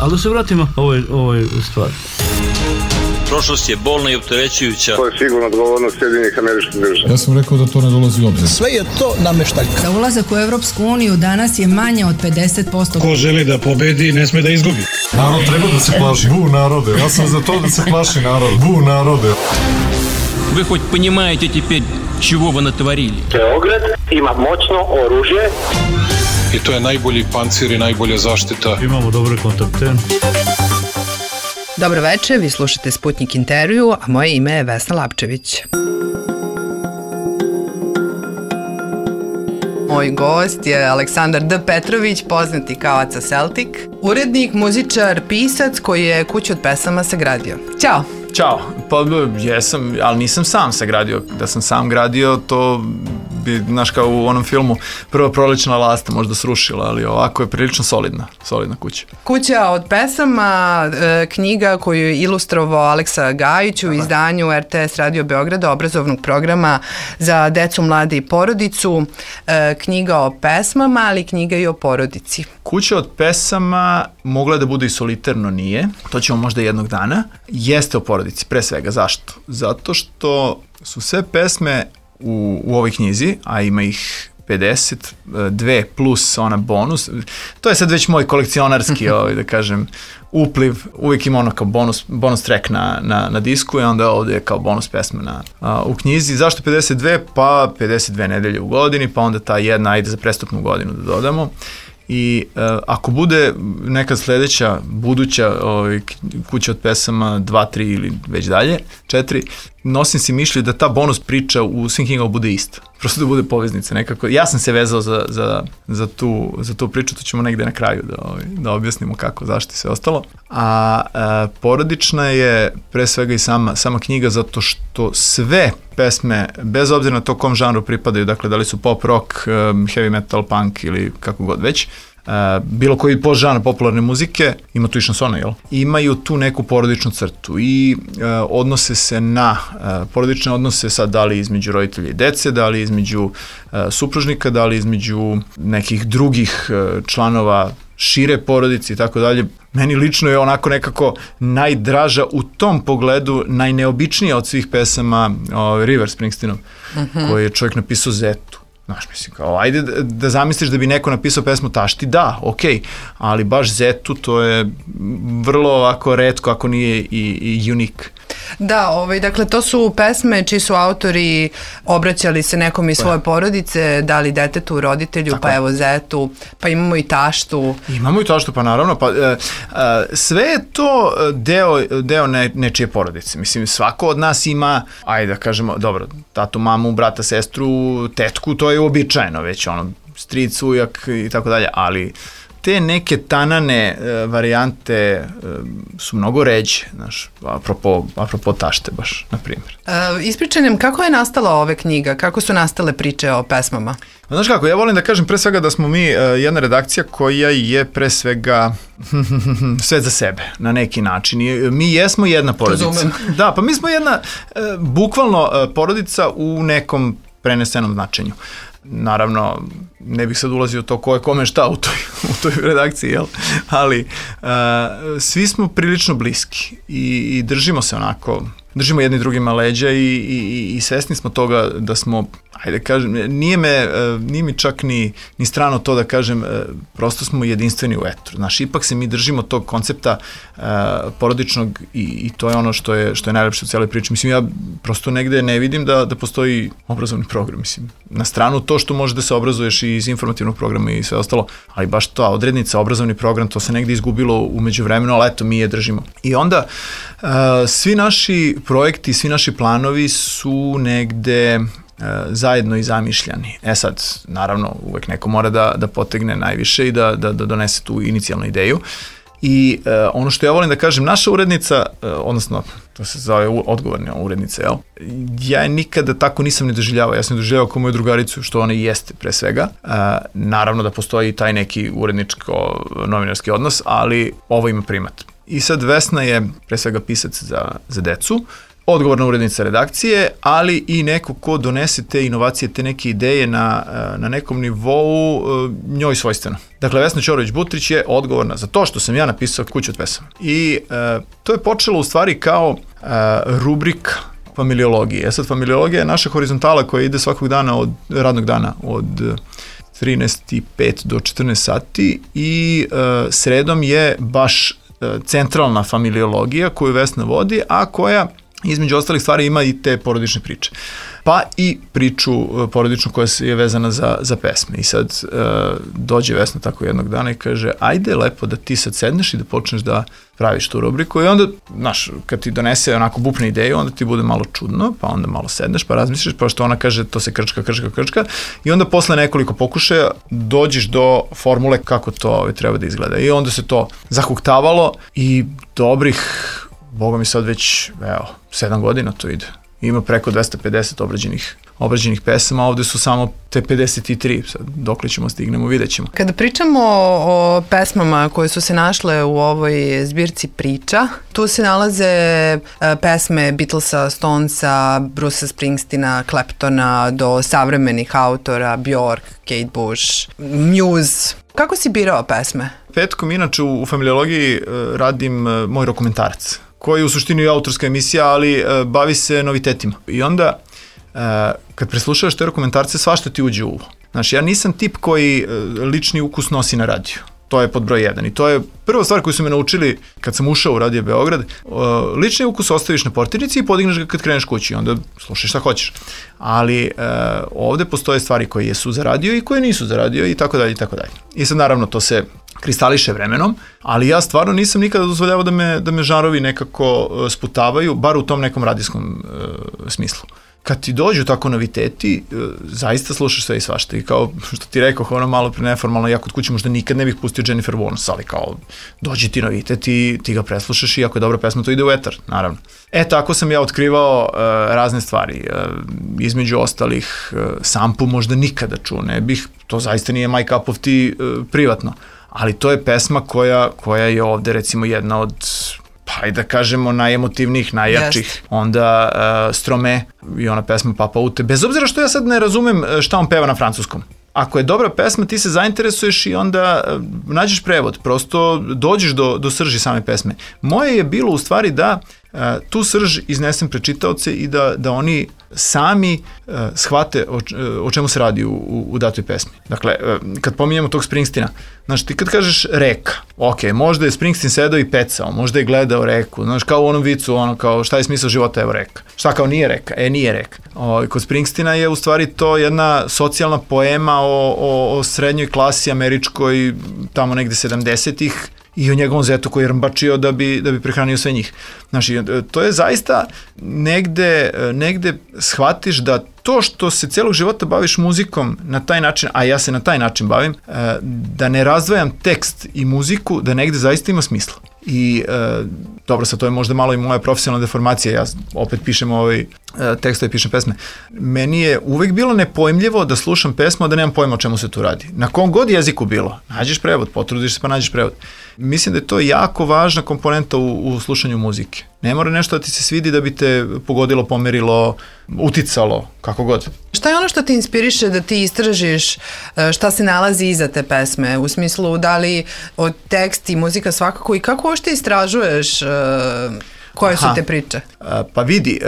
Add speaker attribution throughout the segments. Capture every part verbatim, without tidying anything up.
Speaker 1: Ali da se vratimo ovoj, ovoj stvari.
Speaker 2: Prošlost je bolna i opterećujuća.
Speaker 3: To je sigurno odgovornost Sjedinjenih Američkih Država.
Speaker 4: Ja sam rekao da to ne dolazi u obzir.
Speaker 5: Sve je to nameštaljka.
Speaker 6: Za ulazak u Evropsku uniju danas je manje od pedeset posto.
Speaker 7: Ko želi da pobedi, ne sme da izgubi.
Speaker 4: Narod treba da se plaši. Bu narode. Ja sam za to da se plaši narod. Bu narode.
Speaker 8: Вы хоть понимаете теперь, чего вы натворили?
Speaker 3: Beograd ima moćno oružje.
Speaker 9: I to je najbolji pancir i najbolja zaštita.
Speaker 1: Imamo dobre kontakte.
Speaker 10: Dobro večer, vi slušate Sputnik intervju, a moje ime je Vesna Lapčević. Moj gost je Aleksandar D. Petrović, poznati kao Aca Celtic, urednik, muzičar, pisac koji je kuću od pesama sagradio. Ćao!
Speaker 11: Ćao, pa jesam, ali nisam sam sagradio. Da sam sam gradio, to bi, znaš, kao u onom filmu Prva prolećna lasta možda srušila, ali ovako je prilično solidna, solidna kuća.
Speaker 10: Kuća od pesama, e, knjiga koju je ilustrovao Aleksa Gajić u izdanju R T S Radio Beograda, obrazovnog programa za decu, mlade i porodicu. E, knjiga o pesmama, ali knjiga i o porodici.
Speaker 11: Kuća od pesama mogla je da bude i solitarno, nije. To ćemo možda jednog dana. Jeste o porodici, pre svega. Zašto? Zato što su sve pesme u, u ovoj knjizi, a ima ih pedeset dve plus ona bonus. To je sad već moj kolekcionarski, ovaj, da kažem, upliv. Uvijek ima ono kao bonus, bonus track na, na, na disku i onda ovdje je kao bonus pesma na, a, u knjizi. Zašto pedeset dve? Pa pedeset dve nedelje u godini, pa onda ta jedna ajde za prestupnu godinu da dodamo. I uh, ako bude neka sledeća, buduća ovaj, kuća od pesama dva, tri ili već dalje, četiri, nosim si mišlju da ta bonus priča u svim knjigama bude ista. Prosto da bude poveznica nekako. Ja sam se vezao za, za, za, tu, za tu priču, to ćemo negde na kraju da, ovaj, da objasnimo kako, zašto i sve ostalo. A, a porodična je pre svega i sama, sama knjiga zato što sve pesme, bez obzira na to kom žanru pripadaju, dakle da li su pop, rock, um, heavy metal, punk ili kako god već, Uh, bilo koji podžanr popularne muzike, ima tu i šansona, jel? Imaju tu neku porodičnu crtu i uh, odnose se na uh, porodične odnose sad da li između roditelja i dece, da li između uh, supružnika, da li između nekih drugih uh, članova šire porodice i tako dalje. Meni lično je onako nekako najdraža u tom pogledu, najneobičnija od svih pesama uh, River Springsteenov, uh-huh. koji je čovjek napisao Zetu. Znaš, mislim, kao, ajde da, da zamisliš da bi neko napisao pesmu Tašti, da, okej, okay, ali baš Zetu, to je vrlo ovako retko, ako nije i, i unik.
Speaker 10: Da, ovaj, dakle, to su pesme čiji su autori obraćali se nekom iz svoje porodice, dali detetu, roditelju, tako pa evo Zetu, pa imamo i Taštu.
Speaker 11: Imamo i Taštu, pa naravno, pa e, e, sve je to deo, deo ne, nečije porodice. Mislim, svako od nas ima, ajde da kažemo, dobro, tatu, mamu, brata, sestru, tetku, to je uobičajeno već, ono, stric, ujak i tako dalje, ali te neke tanane e, varijante e, su mnogo ređe, znaš, apropo, apropo Tašte baš, na primjer.
Speaker 10: E, ispričaj nam, kako je nastala ova knjiga? Kako su nastale priče o pesmama?
Speaker 11: Znaš kako, ja volim da kažem pre svega da smo mi e, jedna redakcija koja je pre svega sve za sebe, na neki način. I, mi jesmo jedna porodica.
Speaker 10: Razumem.
Speaker 11: Da, pa mi smo jedna, e, bukvalno e, porodica u nekom prenesenom značenju. Naravno, ne bih sad ulazio to ko je kome šta u toj, u toj redakciji, jel? Ali uh, svi smo prilično bliski i, i držimo se onako, držimo jedni drugima leđa i, i, i svesni smo toga da smo, ajde kažem, nije, me, nije mi čak ni, ni strano to da kažem, prosto smo jedinstveni u etru. Znaš, ipak se mi držimo tog koncepta uh, porodičnog i, i to je ono što je, što je najlepše u cijeloj priči. Mislim, ja prosto negde ne vidim da, da postoji obrazovni program, mislim. Na stranu to što može da se obrazuješ i iz informativnog programa i sve ostalo, ali baš ta odrednica, obrazovni program, to se negde izgubilo u međuvremenu, ali eto, mi je držimo. I onda, uh, svi naši projekti, svi naši planovi su negde uh, zajedno i zamišljani. E sad, naravno, uvek neko mora da, da potegne najviše i da, da, da donese tu inicijalnu ideju. I uh, ono što ja volim da kažem, naša urednica, uh, odnosno, to se zove odgovorna urednica, jel? Ja je nikada tako nisam ni doživljavao, ja sam doživljavao kao moju drugaricu, što ona i jeste pre svega. Uh, naravno da postoji taj neki uredničko-novinarski odnos, ali ovo ima primat. I sad Vesna je pre svega pisac za, za decu, odgovorna urednica redakcije, ali i neko ko donese te inovacije, te neke ideje na, na nekom nivou njoj svojstveno. Dakle, Vesna Ćorović-Butrić je odgovorna za to što sam ja napisao Kuću od pesama. I e, to je počelo u stvari kao e, rubrika familiologije. E sad, familiologija je naša horizontala koja ide svakog dana, od radnog dana, od trinaest i pet do četrnaest sati i e, sredom je baš e, centralna familiologija koju Vesna vodi, a koja između ostalih stvari ima i te porodične priče. Pa i priču porodičnu koja je vezana za, za pesme. I sad e, dođe Vesna tako jednog dana i kaže, ajde lepo da ti sad sedneš i da počneš da praviš tu rubriku. I onda, znaš, kad ti donese onako bupne ideju, onda ti bude malo čudno, pa onda malo sedneš, pa razmisliš, pa što ona kaže, to se krčka, krčka, krčka. I onda posle nekoliko pokušaja dođeš do formule kako to ovaj, treba da izgleda. I onda se to zahuktavalo i dobrih, boga mi sad već, evo, sedam godina to ide. Ima preko dvesta pedeset obrađenih, obrađenih pesama, ovde su samo te pedeset tri, sad dokle ćemo stignemo, vidjet ćemo.
Speaker 10: Kada pričamo o, o pesmama koje su se našle u ovoj zbirci priča, tu se nalaze e, pesme Beatlesa, Stonesa, Brucea Springsteena, Claptona, do savremenih autora, Bjork, Kate Bush, Muse. Kako si birao pesme?
Speaker 11: Petkom, inače, u, u familiologiji e, radim e, moj dokumentarac, koji je u suštini je autorska emisija, ali e, bavi se novitetima. I onda, e, kad preslušavaš te dokumentarce, svašta ti uđe u uvo. Znaš, ja nisam tip koji e, lični ukus nosi na radiju. To je pod broj jedan. I to je prva stvar koju su me naučili kad sam ušao u Radio Beograd. E, lični ukus ostaviš na portirnici i podigneš ga kad kreneš kući. Onda slušaj šta hoćeš. Ali e, ovde postoje stvari koje jesu za radio i koje nisu za radio i tako dalje i tako dalje. I sad naravno to se kristališe vremenom, ali ja stvarno nisam nikada dozvoljavao da me, da me žanrovi nekako sputavaju, bar u tom nekom radijskom e, smislu. Kad ti dođu tako noviteti, e, zaista slušaš sve i svašta. I kao što ti rekao, ono malo pre neformalno, ja kod kuće možda nikad ne bih pustio Jennifer Warnes, ali kao dođi ti novitet i ti ga preslušaš i ako je dobra pesma, to ide u etar, naravno. E, tako sam ja otkrivao e, razne stvari. E, između ostalih, e, Sampu možda nikada čuo ne bih, to zaista nije my cup of tea e, privatno. Ali to je pesma koja, koja je ovde recimo jedna od, pa i da kažemo, najemotivnijih, najjačih. Yes. Onda uh, Strome i ona pesma Papa Ute. Bez obzira što ja sad ne razumem šta on peva na francuskom. Ako je dobra pesma, ti se zainteresuješ i onda uh, nađeš prevod. Prosto dođeš do, do srži same pesme. Moje je bilo u stvari da uh, tu srž iznesem pred čitaoce i da, da oni sami uh, shvate o, o čemu se radi u, u, u datoj pesmi. Dakle, uh, kad pominjamo tog Springsteena, znaš, ti kad kažeš reka, ok, možda je Springsteen sedao i pecao, možda je gledao reku, znaš, kao u onom vicu, ono kao šta je smisao života, evo reka. Šta kao nije reka? E, nije reka. O, kod Springsteena je u stvari to jedna socijalna poema o, o, o srednjoj klasi američkoj, tamo negde sedamdesetih, i o njegovom zetu koji je rmbačio da bi, da bi prehranio sve njih. Znači, to je zaista negde, negde shvatiš da to što se celog života baviš muzikom na taj način, a ja se na taj način bavim, da ne razdvajam tekst i muziku, da negde zaista ima smisla. I e, dobro, sad to je možda malo i moja profesionalna deformacija, ja opet pišem ovaj tekstove, pišem pesme. Meni je uvek bilo nepojmljivo da slušam pesmu, a da nemam pojma o čemu se tu radi. Na kom god jeziku bilo, nađeš prevod, potrudiš se pa nađeš prevod. Mislim da je to jako važna komponenta u, u slušanju muzike. Ne mora nešto da ti se svidi da bi te pogodilo, pomerilo, uticalo, kako god.
Speaker 10: Šta je ono što te inspiriše da ti istražiš šta se nalazi iza te pesme? U smislu, da li od tekst i muzika svakako, i kako ošte istražuješ uh, koje su Aha. te priče?
Speaker 11: Pa vidi,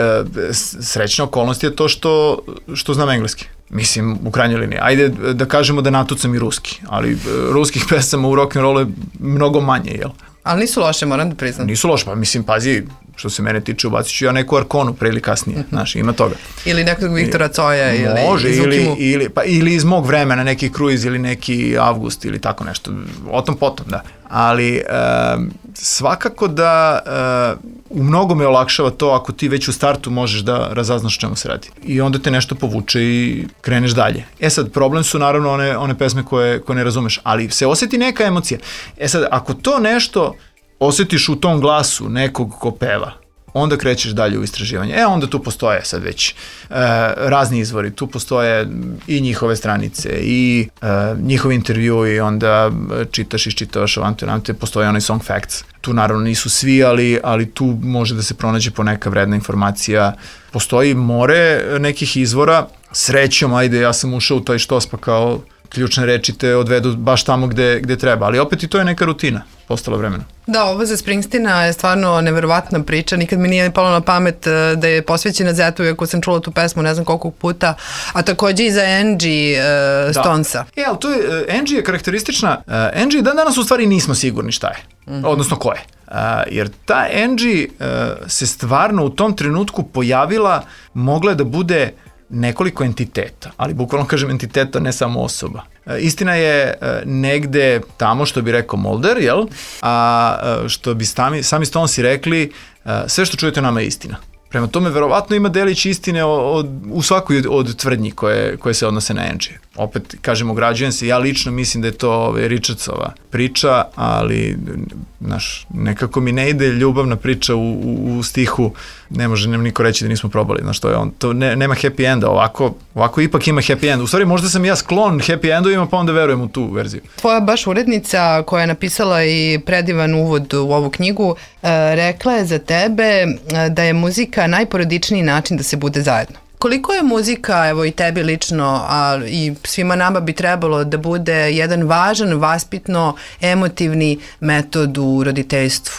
Speaker 11: srećna okolnost je to što, što znam engleski. Mislim, u krajnjoj liniji. Ajde da kažemo da natucam i ruski, ali ruskih pesama u rock'n'rollu je mnogo manje, jel?
Speaker 10: Ali nisu loše, moram da priznam.
Speaker 11: Nisu loše, pa mislim, pazi, što se mene tiče, ubacit ću ja neku Arkonu pre ili kasnije, mm-hmm. znaš, ima toga.
Speaker 10: Ili nekog Viktora Coja ili
Speaker 11: Može,
Speaker 10: iz
Speaker 11: ili, ili, pa, ili iz mog vremena, neki Kruiz ili neki Avgust ili tako nešto, o tom potom, da. Ali e, svakako da e, u mnogo me olakšava to ako ti već u startu možeš da razaznaš čemu se radi. I onda te nešto povuče i kreneš dalje. E sad, problem su naravno one, one pesme koje, koje ne razumeš, ali se osjeti neka emocija. E sad, ako to nešto osjetiš u tom glasu nekog ko peva, onda krećeš dalje u istraživanje. E, onda tu postoje sad već e, razni izvori, tu postoje i njihove stranice, i e, njihovi intervju, i onda čitaš, iščitavaš ovante, ovante, postoje onaj Song Facts. Tu naravno nisu svi, ali, ali tu može da se pronađe poneka vredna informacija. Postoji more nekih izvora, srećom, ajde, ja sam ušao u taj štos, pa kao ključne reči te odvedu baš tamo gde, gde treba, ali opet i to je neka rutina postala vremena.
Speaker 10: Da, ovo za Springsteena je stvarno neverovatna priča, nikad mi nije palo na pamet da je posvećena Zetu, iako sam čula tu pesmu ne znam koliko puta, a takođe i za Angie uh, Stonesa.
Speaker 11: E, ali to je, uh, Angie je karakteristična, uh, Angie dan danas u stvari nismo sigurni šta je, mm-hmm. odnosno ko je. Uh, jer ta Angie uh, se stvarno u tom trenutku pojavila, mogla da bude nekoliko entiteta, ali bukvalno kažem entiteta, ne samo osoba. E, istina je e, negde tamo, što bi rekao Mulder, jel? A e, što bi sami, sami Stonesi rekli, e, sve što čujete nama je istina. Prema tome, verovatno ima delić istine od, od, u svakoj od, od tvrdnji koje, koje se odnose na Angie. Opet, kažemo, ograđujem se, ja lično mislim da je to ove, Richardsova priča, ali znaš, nekako mi ne ide ljubavna priča u, u, u stihu, ne može nam niko reći da nismo probali, znaš, to je on, to ne, nema happy enda, ovako, ovako ipak ima happy end. U stvari, možda sam ja sklon happy endovima, pa onda verujem u tu verziju.
Speaker 10: Tvoja baš urednica koja je napisala i predivan uvod u ovu knjigu, rekla je za tebe da je muzika najporodičniji način da se bude zajedno. Koliko je muzika, evo i tebi lično, a i svima nama bi trebalo da bude jedan važan, vaspitno, emotivni metod u roditeljstvu?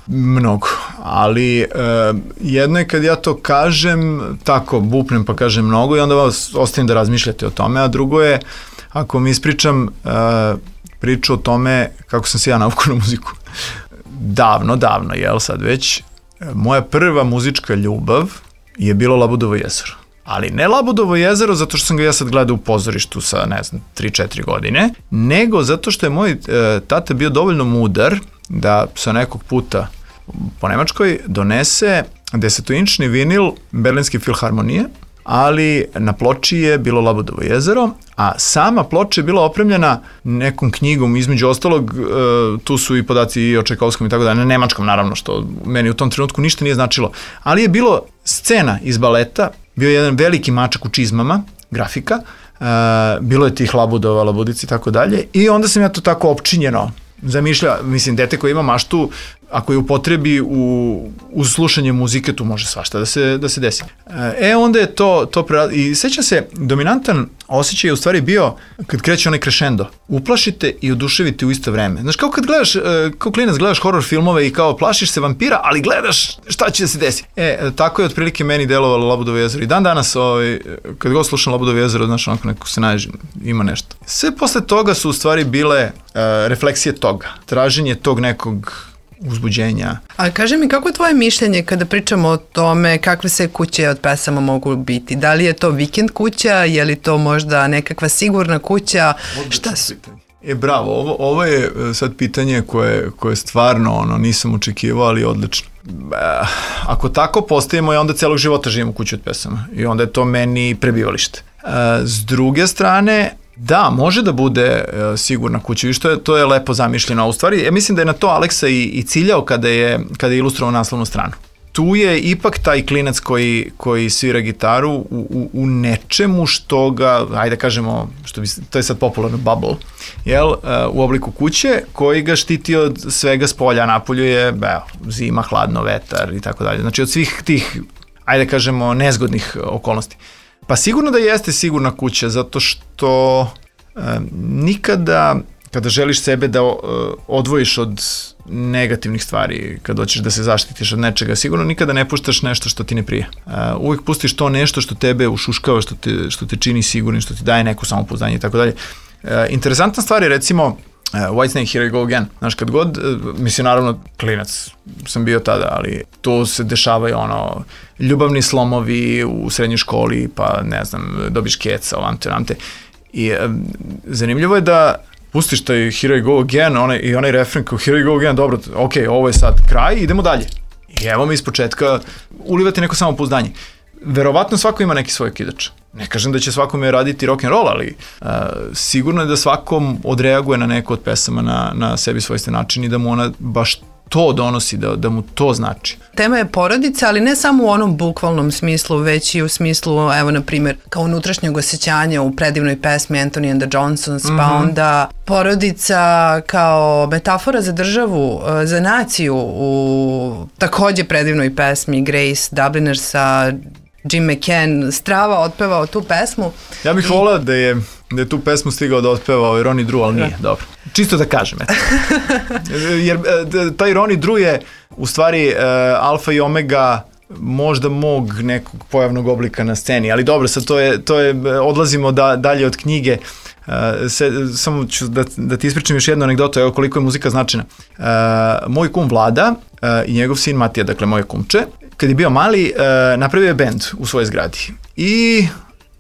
Speaker 11: Mnogo, ali e, jedno je kad ja to kažem, tako bupnem pa kažem mnogo i onda vas ostavim da razmišljate o tome, a drugo je ako mi ispričam e, priču o tome kako sam se ja navukao na muziku. Davno, davno, jel sad već, moja prva muzička ljubav je bilo Labudovo jezero. Ali ne Labudovo jezero zato što sam ga ja sad gledao u pozorištu sa, ne znam, tri četiri godine, nego zato što je moj e, tata bio dovoljno mudar da sa nekog puta po Nemačkoj donese desetoinčni vinil Berlinske filharmonije, ali na ploči je bilo Labudovo jezero, a sama ploča je bila opremljena nekom knjigom, između ostalog, e, tu su i podaci i o Čajkovskom i tako da, na nemačkom naravno, što meni u tom trenutku ništa nije značilo, ali je bilo scena iz baleta, bio je jedan veliki mačak u čizmama, grafika, e, bilo je tih Labudova, Labudici i tako dalje, i onda sam ja to tako opčinjeno zamišlja, mislim, dete koje ima maštu, ako je upotrebi u, u slušanje muzike, tu može svašta da se, da se desi. E, onda je to, to pre... I sećam se, dominantan osjećaj je u stvari bio kad kreće onaj crescendo. Uplašite i oduševite u isto vreme. Znaš, kao kad gledaš, kao klinac gledaš horror filmove i kao plašiš se vampira, ali gledaš šta će da se desi. E, tako je otprilike meni delovalo Labudovo jezero. I dan danas, ovaj, kad god slušam Labudovo jezero, znaš, onako neko se nađe, ima nešto. Sve posle toga su u stvari bile uh, refleksije toga. Traženje tog nekog uzbuđenja.
Speaker 10: A kaži mi, kako je tvoje mišljenje kada pričamo o tome kakve se kuće od pesama mogu biti? Da li je to vikend kuća, je li to možda nekakva sigurna kuća?
Speaker 11: Odlično
Speaker 10: Šta su?
Speaker 11: pitanje. E, bravo, ovo, ovo je sad pitanje koje, koje stvarno ono, nisam očekivao, ali odlično. E, ako tako postavimo, ja onda celog života živim u kući od pesama i onda je to meni prebivalište. E, s druge strane, da, može da bude e, sigurna kuća, viš, to je, to je lepo zamišljeno. A u stvari, ja mislim da je na to Aleksa i, i ciljao kada je, kada je ilustrovao naslovnu stranu. Tu je ipak taj klinac koji, koji svira gitaru u, u, u nečemu što ga, ajde kažemo, što bi, to je sad popularno bubble, jel, uh, u obliku kuće, koji ga štiti od svega s polja, napolju je, evo, zima, hladno, vetar i tako dalje. Znači od svih tih, ajde kažemo, nezgodnih okolnosti. Pa sigurno da jeste sigurna kuća, zato što uh, nikada... kada želiš sebe da uh, odvojiš od negativnih stvari, kad hoćeš da se zaštitiš od nečega, sigurno nikada ne puštaš nešto što ti ne prije. Uh, uvijek pustiš to nešto što tebe ušuškava, što te, što te čini sigurnim, što ti daje neku samopouzdanje i tako dalje. Uh, interesantna stvar je recimo uh, Whitesnake, Here I Go Again. Znaš, kad god, uh, mislim, naravno, klinac sam bio tada, ali to se dešavaju ono, ljubavni slomovi u srednjoj školi, pa ne znam, dobiš keca, ovamte, ovamte. I uh, zanimljivo je da pustiš taj Here I Go Again onaj, i onaj refren kao Here I Go Again, dobro, ok, ovo je sad kraj, idemo dalje. I evo mi iz početka ulivati neko samopouzdanje. Verovatno svako ima neki svoj kidač. Ne kažem da će svakome raditi rock'n'roll, ali uh, sigurno je da svakom odreaguje na neko od pesama na, na sebi svojstven način i da mu ona baš to donosi, da, da mu to znači.
Speaker 10: Tema je porodica, ali ne samo u onom bukvalnom smislu, već i u smislu, evo, na primjer, kao unutrašnjeg osjećanja u predivnoj pesmi Anthony and the Johnsons, mm-hmm. pa onda porodica kao metafora za državu, za naciju u takođe predivnoj pesmi Grace Dublinersa, Jim McCann strava otpevao tu pesmu.
Speaker 11: Ja bih I... volao da je, da je tu pesmu stigao da otpeva ovaj Ronnie Drew, ali nije, dobro. Čisto da kažem, eto. Jer taj Ronnie Drew je u stvari uh, alfa i omega možda mog nekog pojavnog oblika na sceni, ali dobro, sad to je, to je odlazimo da, dalje od knjige. Uh, se, samo ću da, da ti ispričam još jednu anegdotu, evo koliko je muzika značajna. Uh, moj kum Vlada uh, i njegov sin Matija, dakle moje kumče, kad je bio mali, uh, napravio je bend u svojoj zgradi. I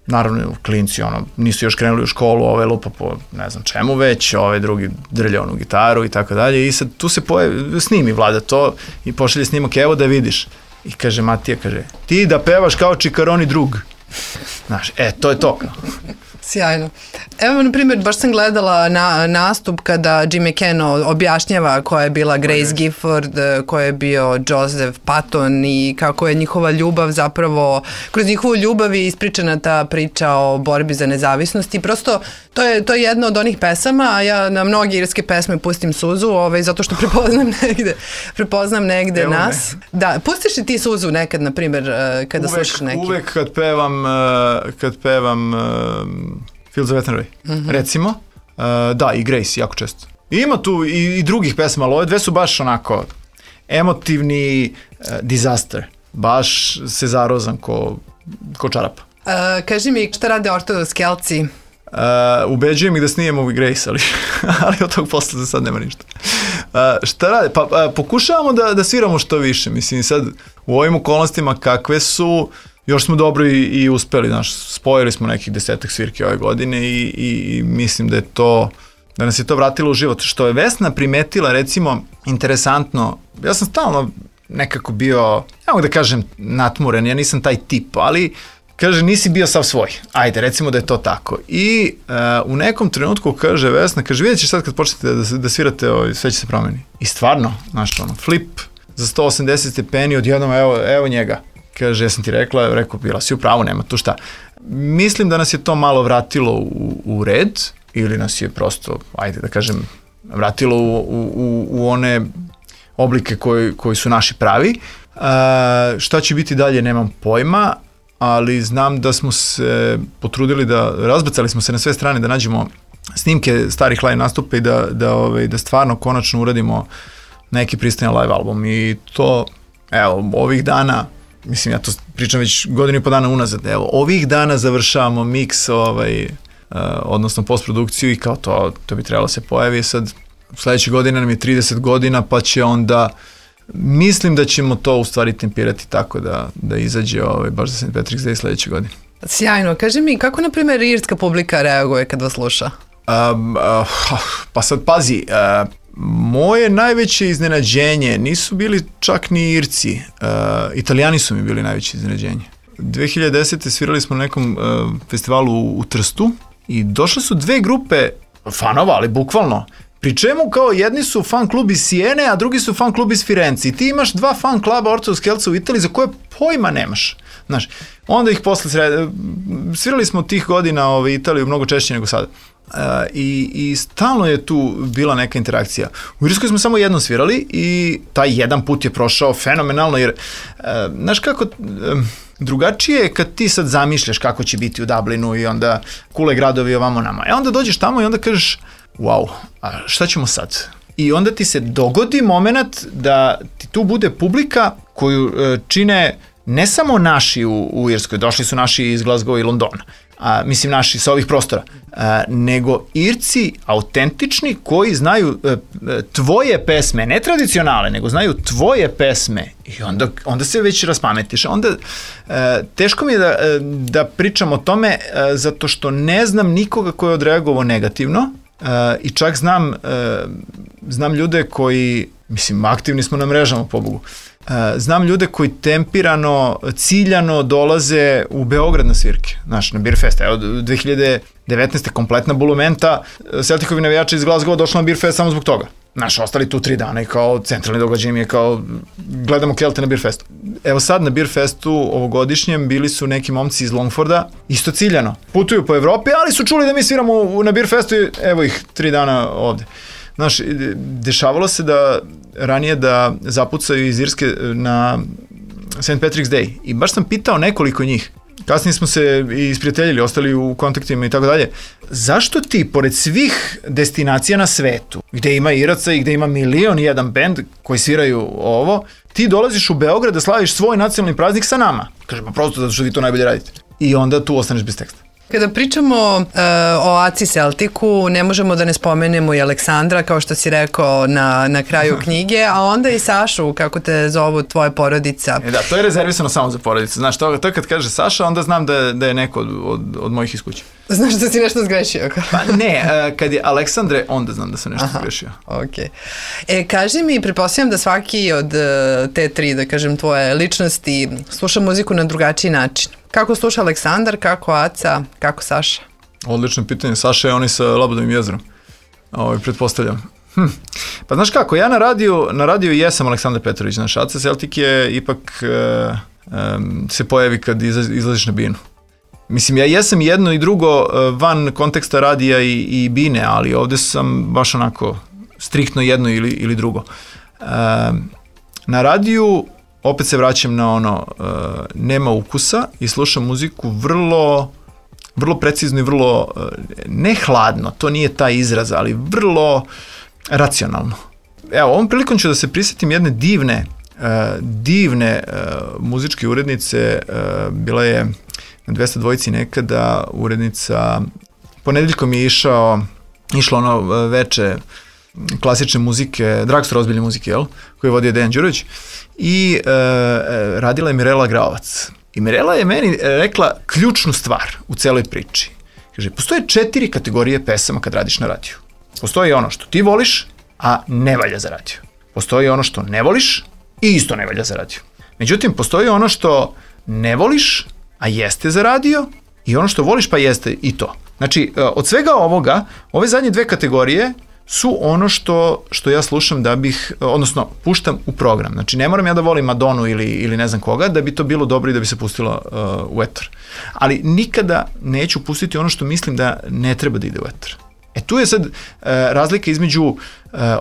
Speaker 11: naravno klinci ono, nisu još krenuli u školu, ove lupa po ne znam čemu već, ove drugi drlja onu gitaru i tako dalje. I sad tu se pojavi, snimi Vlada to i pošalje snimak, evo da vidiš. I kaže Matija, kaže, ti da pevaš kao Čikaroni drug. Znaš, e, to je to.
Speaker 10: Sjajno. Evo, na primjer, baš sam gledala na, nastup kada Jim McCann objašnjava koja je bila Grace Gifford, koja je bio Joseph Patton i kako je njihova ljubav zapravo, kroz njihovu ljubav je ispričana ta priča o borbi za nezavisnost i prosto to je, to je jedna od onih pesama, a ja na mnogi irske pesme pustim suzu, ovaj, zato što prepoznam negde, prepoznam negde Evo nas. Ne. Da, pustiš li ti suzu nekad, na primjer, kada uvek, slušaš neki?
Speaker 11: Uvek kad pevam, kad pevam Fields of Eternity, mm-hmm. recimo, uh, da, i Grace, jako često. I ima tu i, i drugih pesma, ali ove dve su baš onako emotivni uh, disaster, baš se zarozam ko, ko čarapa.
Speaker 10: Uh, kaži mi, šta rade ortodoskelci?
Speaker 11: Uh, ubeđujem ih da snijemo i Grace, ali, ali od tog posla za sad nema ništa. Uh, šta rade? Pa uh, pokušavamo da, da sviramo što više, mislim sad u ovim okolnostima kakve su, još smo dobro i, i uspeli, znaš, spojili smo nekih desetak svirki ove godine i, i, i mislim da je to, da nas je to vratilo u život. Što je Vesna primetila, recimo, interesantno, ja sam stalno nekako bio, ja mogu da kažem, natmuren, ja nisam taj tip, ali, kaže, nisi bio sav svoj. Ajde, recimo da je to tako. I uh, u nekom trenutku kaže Vesna, kaže, vidjet ćeš sad kad počnete da, da svirate, ovaj, sve će se promeni. I stvarno, znaš, ono, flip za sto osamdeset stepeni, odjednom, evo, evo njega. Kaže, ja sam ti rekla, rekao, bila si u pravu, nema tu šta. Mislim da nas je to malo vratilo u, u red, ili nas je prosto, ajde da kažem, vratilo u, u, u one oblike koji, koji su naši pravi. Uh, šta će biti dalje, nemam pojma, ali znam da smo se potrudili da, razbacali smo se na sve strane da nađemo snimke starih live nastupa i da, da, ovaj, da stvarno konačno uradimo neki pristojan live album. I to, evo, ovih dana, mislim, ja to pričam već godinu i po dana unazad, evo, ovih dana završavamo miks, ovaj, uh, odnosno postprodukciju i kao to, to bi trebalo se pojavi. Sad, sledeće godine nam je trideset godina, pa će onda, mislim da ćemo to u stvari tempirati tako da, da izađe ovaj, baš za Saint Patrick's Day sledeće godine.
Speaker 10: Sjajno. Kaži mi, kako, na primjer, irska publika reaguje kad vas sluša?
Speaker 11: Um, uh, pa sad, pazi, uh, moje najveće iznenađenje nisu bili čak ni Irci, uh, Italijani su mi bili najveće iznenađenje. dve hiljade desete svirali smo na nekom uh, festivalu u, u Trstu i došle su dve grupe fanova, ali bukvalno, pri čemu kao jedni su fan klub iz Sijene, a drugi su fan klub iz Firenze. I ti imaš dva fan kluba ortodoskelca u Italiji za koje pojma nemaš. Znaš, onda ih posle sred... svirali smo tih godina ovaj, Italiju mnogo češće nego sada. Uh, i, i stalno je tu bila neka interakcija. U Irskoj smo samo jednom svirali i taj jedan put je prošao fenomenalno, jer uh, znaš kako, uh, drugačije je kad ti sad zamišljaš kako će biti u Dublinu i onda kule gradovi ovamo nama. E onda dođeš tamo i onda kažeš, wow, a šta ćemo sad? I onda ti se dogodi moment da ti tu bude publika koju uh, čine ne samo naši u, u Irskoj, došli su naši iz Glasgowa i Londona, a, mislim naši sa ovih prostora, a, nego Irci autentični koji znaju a, tvoje pesme, ne tradicionalne, nego znaju tvoje pesme i onda, onda se već raspametiš. Onda a, teško mi je da, da pričam o tome a, zato što ne znam nikoga ko je odreagovao negativno a, i čak znam, a, znam ljude koji, mislim, aktivni smo na mrežama, pobogu, znam ljude koji tempirano, ciljano dolaze u Beograd na svirke, znaš, na Beer Fest. Evo, dve hiljade devetnaeste kompletna bulumenta Celticovi navijača iz Glasgowa došla na Beer Fest samo zbog toga. Naš ostali tu tri dana i kao centralni događaj mi je kao gledamo Kelte na Beer Festu. Evo sad na Beer Festu ovogodišnjem bili su neki momci iz Longforda, isto ciljano. Putuju po Evropi, ali su čuli da mi sviramo na Beer Festu i evo ih tri dana ovde. Znaš, dešavalo se da ranije da zapucaju iz Irske na Saint Patrick's Day i baš sam pitao nekoliko njih. Kasnije smo se i isprijateljili, ostali u kontaktima i tako dalje. Zašto ti, pored svih destinacija na svetu, gde ima Iraca i gde ima milion i jedan bend koji sviraju ovo, ti dolaziš u Beograd da slaviš svoj nacionalni praznik sa nama? Kaže, pa prosto zato što vi to najbolje radite. I onda tu ostaneš bez teksta.
Speaker 10: Kada pričamo uh, o Aci Celticu, ne možemo da ne spomenemo i Aleksandra, kao što si rekao na, na kraju knjige, a onda i Sašu, kako te zovu tvoja porodica.
Speaker 11: E da, to je rezervisano samo za porodicu. Znaš, to, to kad kaže Saša, onda znam da, da je neko od, od, od mojih iz kuće.
Speaker 10: Znaš da si nešto zgrešio?
Speaker 11: Pa ne, kad je Aleksandre, onda znam da sam nešto Aha, zgrešio.
Speaker 10: Okay. E, kaži mi, pretpostavljam da svaki od te tri, da kažem, tvoje ličnosti sluša muziku na drugačiji način. Kako sluša Aleksandar, kako Aca, kako Saša?
Speaker 11: Odlično pitanje. Saša je oni sa Labudovim jezerom. Ovo, pretpostavljam. Hm. Pa znaš kako, ja na radiju, na radiju jesam Aleksandar Petrović. Naš Aca Celtic je ipak e, um, se pojavi kad izlazi, izlaziš na binu. Mislim, ja jesam jedno i drugo van konteksta radija i, i bine, ali ovde sam baš onako striktno jedno ili, ili drugo. E, na radiju opet se vraćam na ono, uh, nema ukusa i slušam muziku vrlo, vrlo precizno i vrlo, uh, ne hladno, to nije taj izraz, ali vrlo racionalno. Evo, ovom prilikom ću da se prisjetim jedne divne, uh, divne uh, muzičke urednice, uh, bila je na dvesta dvojici nekada urednica, ponedeljkom je išao, išlo ono veče klasične muzike, drugstore ozbiljne muzike, jel? Koju je vodio Dejan Đurović. I e, radila je Mirela Graovac. I Mirela je meni rekla ključnu stvar u celoj priči. Kaže, postoje četiri kategorije pesama kad radiš na radiju. Postoji ono što ti voliš, a ne valja za radio. Postoji ono što ne voliš i isto ne valja za radio. Međutim, postoji ono što ne voliš, a jeste za radio, i ono što voliš pa jeste i to. Znači, od svega ovoga, ove zadnje dve kategorije su ono što, što ja slušam da bih, odnosno puštam u program. Znači ne moram ja da volim Madonu ili, ili ne znam koga da bi to bilo dobro i da bi se pustilo uh, u etar. Ali nikada neću pustiti ono što mislim da ne treba da ide u etar. E tu je sad uh, razlika između uh,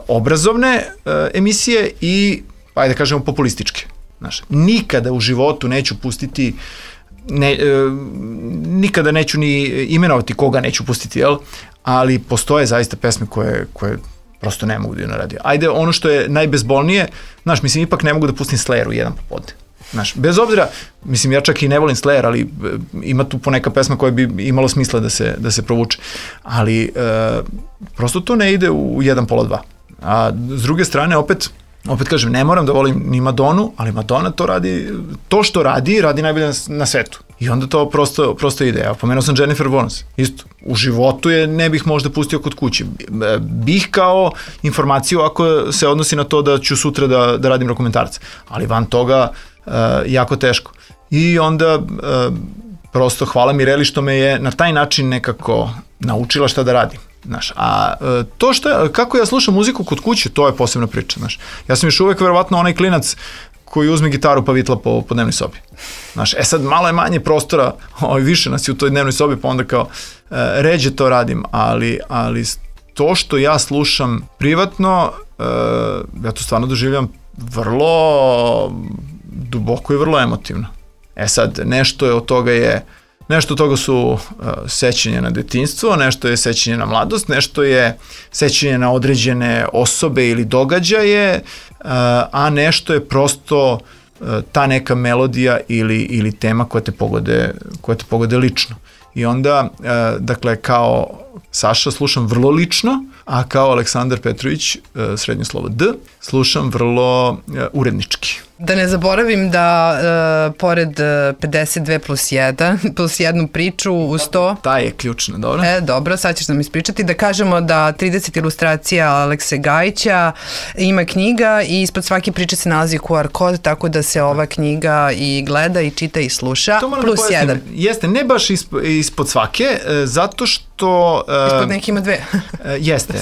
Speaker 11: obrazovne uh, emisije i, ajde da kažemo, populističke. Znaš, nikada u životu neću pustiti Ne, e, nikada neću ni imenovati koga neću pustiti, jel? Ali postoje zaista pesme koje, koje prosto ne mogu da idu na radio. Ajde, ono što je najbezbolnije, znaš, mislim, ipak ne mogu da pustim Slayeru jedan popodne. Znaš, bez obzira, mislim, ja čak i ne volim Slayer, ali ima tu poneka pesma koja bi imalo smisla da se, da se provuče. Ali e, prosto to ne ide u jedan pola dva. A s druge strane, opet, opet kažem, ne moram da volim ni Madonu, ali Madonna to radi, to što radi, radi najbolje na, na svetu. I onda to prosto, prosto ide. Evo, pomenuo sam Jennifer Warnes. Isto, u životu je ne bih možda pustio kod kući. Bih kao informaciju ako se odnosi na to da ću sutra da, da radim dokumentarce. Ali van toga uh, jako teško. I onda uh, prosto hvala Mireli što me je na taj način nekako naučila šta da radim. Znaš, a to što, kako ja slušam muziku kod kuće, to je posebna priča, znaš. Ja sam još uvek verovatno onaj klinac koji uzme gitaru pa vitla po, po dnevnoj sobi. Znaš, e sad malo je manje prostora, ovaj, više nas je u toj dnevnoj sobi, pa onda kao e, ređe to radim, ali, ali to što ja slušam privatno, e, ja to stvarno doživljam vrlo duboko i vrlo emotivno. E sad, nešto je od toga je Nešto od toga su uh, sećanje na detinjstvo, nešto je sećanje na mladost, nešto je sećanje na određene osobe ili događaje, uh, a nešto je prosto uh, ta neka melodija ili, ili tema koja te pogode, koja te pogode lično. I onda, uh, dakle, kao Saša slušam vrlo lično, a kao Aleksandar Petrović, uh, srednje slovo D, slušam vrlo uh, urednički.
Speaker 10: Da ne zaboravim da uh, pored pedeset dve plus jedan, plus jednu priču uz to...
Speaker 11: Ta je ključna, dobro.
Speaker 10: E, dobro, sad ćeš nam ispričati. Da kažemo da trideset ilustracija Alekse Gajića ima knjiga i ispod svake priče se nalazi Q R kod, tako da se ova knjiga i gleda i čita i sluša. Plus jedan.
Speaker 11: Jeste, ne baš ispod svake, zato što što... Uh,
Speaker 10: Ispod neki ima dve.
Speaker 11: uh, jeste,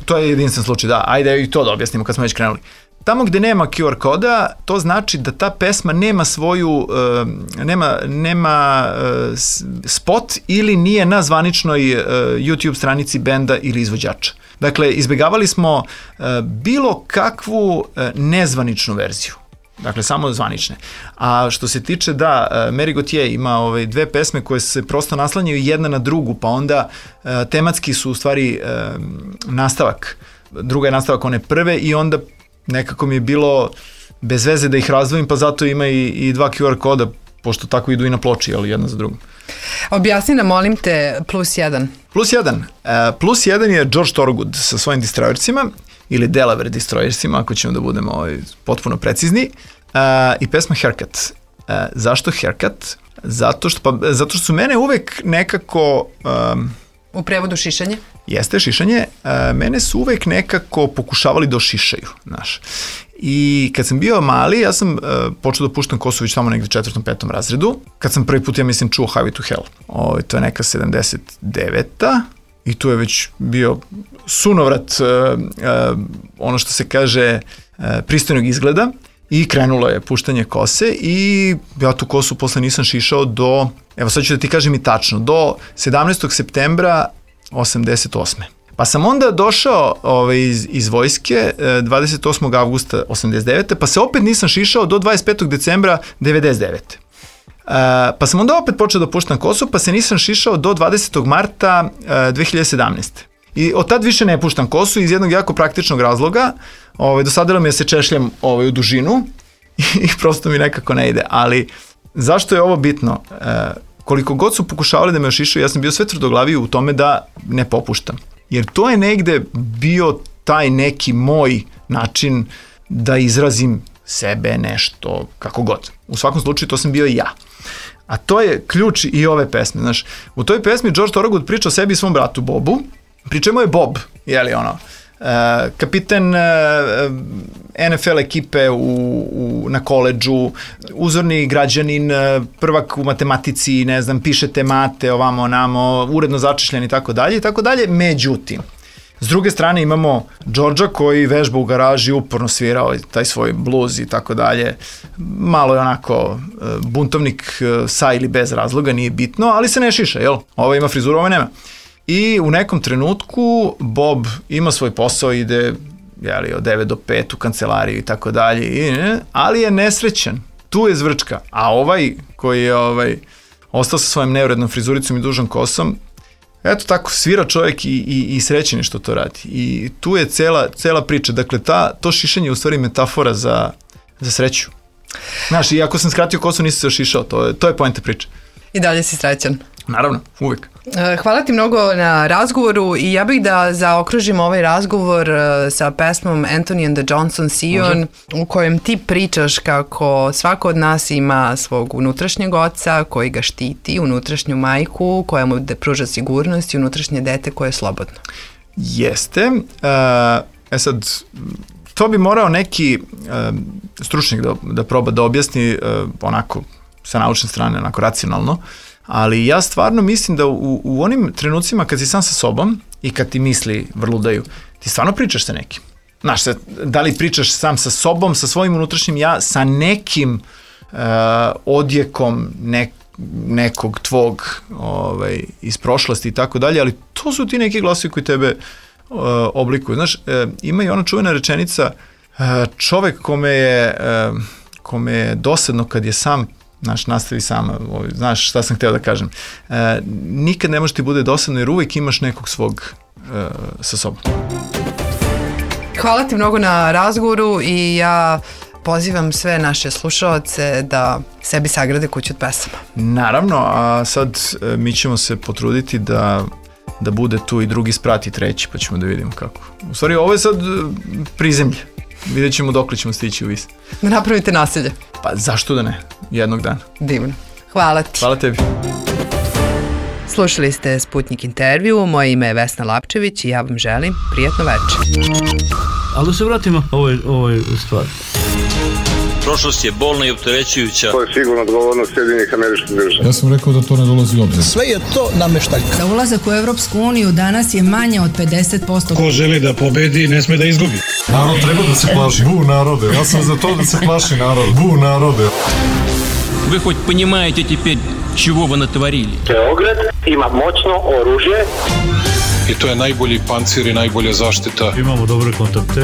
Speaker 11: to je jedinstven slučaj, da. Ajde i to da objasnimo kad smo već krenuli. Tamo gde nema Q R koda, to znači da ta pesma nema svoju, uh, nema, nema uh, spot ili nije na zvaničnoj uh, YouTube stranici benda ili izvođača. Dakle, izbjegavali smo uh, bilo kakvu uh, nezvaničnu verziju. Dakle, samo zvanične. A što se tiče, da, Mary Gauthier ima ove dve pesme koje se prosto naslanjaju jedna na drugu, pa onda uh, tematski su u stvari uh, nastavak. Druga je nastavak one prve i onda nekako mi je bilo bez veze da ih razdvojim, pa zato ima i, i dva Q R koda, pošto tako idu i na ploči, ali jedna za drugom.
Speaker 10: Objasni nam, molim te, plus jedan.
Speaker 11: Plus jedan. Uh, plus jedan je George Thorogood sa svojim Destroyersima, ili Delaware Destroyersima, ako ćemo da budemo ovaj, potpuno precizni, uh, i pesma Haircut. Uh, zašto Haircut? Zato što, pa, zato što su mene uvek nekako... Um,
Speaker 10: U prevodu šišanje?
Speaker 11: Jeste, šišanje. Uh, mene su uvek nekako pokušavali da ošišaju, znaš. I kad sam bio mali, ja sam uh, počeo da puštam kosu već tamo negde četvrtom, petom razredu. Kad sam prvi put, ja mislim, čuo Highway to Hell. O, to je neka sedamdeset deveta i tu je već bio sunovrat, uh, uh, ono što se kaže, uh, pristojnog izgleda i krenulo je puštanje kose i ja tu kosu posle nisam šišao do, evo sad ću da ti kažem i tačno, do sedamnaestog septembra osamdeset osme. Pa sam onda došao ovaj, iz, iz vojske dvadeset osmog avgusta osamdeset devete pa se opet nisam šišao do dvadeset petog decembra devedeset devete. Uh, pa sam onda opet počeo da puštam kosu, pa se nisam šišao do dvadesetog marta dve hiljade sedamnaeste. I od tad više ne puštam kosu iz jednog jako praktičnog razloga. Ovaj, dosadilo mi je da se češljam ovaj, u dužinu i prosto mi nekako ne ide. Ali zašto je ovo bitno? Uh, koliko god su pokušavali da me ošišaju, ja sam bio sve tvrdoglaviji u tome da ne popuštam. Jer to je negde bio taj neki moj način da izrazim sebe, nešto, kako god. U svakom slučaju to sam bio ja. A to je ključ i ove pesme. Znaš, u toj pesmi George Thorogood priča o sebi i svom bratu Bobu, pri čemu je Bob, jeli ono, uh, kapiten uh, N F L ekipe u, u, na koledžu, uzorni građanin, uh, prvak u matematici, ne znam, pišete mate, ovamo, onamo, uredno začešljen i tako dalje i tako dalje. Međutim, s druge strane imamo Georgea koji vežba u garaži, uporno svirao taj svoj blues i tako dalje. Malo je onako buntovnik sa ili bez razloga, nije bitno, ali se ne šiša, jel? Ovo ima frizuru, ovo nema. I u nekom trenutku Bob ima svoj posao, ide jeli, od devet do pet u kancelariju i tako dalje, ali je nesrećan. Tu je zvrčka. A ovaj koji je ovaj, ostao sa svojom neurednom frizuricom i dužom kosom, eto tako, svira čovjek i, i, i srećen je što to radi. I tu je cela, cela priča. Dakle, ta, to šišanje je u stvari metafora za, za sreću. Znaš, i ako sam skratio kosu, nisam se ošišao. To je, to je poenta priče.
Speaker 10: I dalje si srećan.
Speaker 11: Naravno, uvek.
Speaker 10: Hvala ti mnogo na razgovoru i ja bih da zaokružim ovaj razgovor sa pesmom Anthony and the Johnson Sion, može, u kojem ti pričaš kako svako od nas ima svog unutrašnjeg oca koji ga štiti, unutrašnju majku koja mu pruža sigurnost i unutrašnje dete koje je slobodno.
Speaker 11: Jeste. E sad, to bi morao neki stručnjak da, da proba da objasni onako sa naučne strane, onako racionalno. Ali ja stvarno mislim da u, u onim trenucima kad si sam sa sobom i kad ti misli vrludaju, ti stvarno pričaš sa nekim. Znaš, da li pričaš sam sa sobom, sa svojim unutrašnjim ja, sa nekim uh, odjekom nek, nekog tvog ovaj, iz prošlosti i tako dalje, ali to su ti neki glasovi koji tebe uh, oblikuju. Znaš, uh, ima i ona čuvena rečenica, uh, čovek kome je, uh, kome je dosadno kad je sam, znaš, nastavi sama, znaš šta sam hteo da kažem. E, nikad ne može ti bude dosadno jer uvijek imaš nekog svog e, sa sobom.
Speaker 10: Hvala ti mnogo na razgovoru i ja pozivam sve naše slušaoce da sebi sagrade kuću od pesama.
Speaker 11: Naravno, a sad e, mi ćemo se potruditi da, da bude tu i drugi sprat i treći, pa ćemo da vidimo kako. U stvari, ovo je sad prizemlje. Vidjet ćemo dok ćemo stići u vis.
Speaker 10: Da napravite nasilje.
Speaker 11: Pa zašto da ne? Jednog dana.
Speaker 10: Divno. Hvala ti.
Speaker 11: Hvala tebi.
Speaker 10: Slušali ste Sputnik intervju, moje ime je Vesna Lapčević i ja vam želim prijatno večer.
Speaker 1: Ali da se vratimo ovoj, ovoj stvari.
Speaker 2: Prošlost je bolna i opterećujuća.
Speaker 3: To je sigurno odgovornost Sjedinjenih Američkih Država.
Speaker 4: Ja sam rekao da to ne dolazi u obzir.
Speaker 5: Sve je to nameštaljka.
Speaker 6: Za ulazak u Evropsku uniju danas je manje od pedeset posto.
Speaker 7: Ko želi da pobedi, ne sme da izgubi.
Speaker 4: Narod treba da se plaši. Bu narode. Ja sam za to da se plaši narod. Bu narode.
Speaker 8: Вы хоть понимаете теперь, чего вы натворили?
Speaker 3: Beograd ima moćno oružje.
Speaker 9: I to je najbolji pancir i najbolja zaštita.
Speaker 1: Imamo dobre kontakte.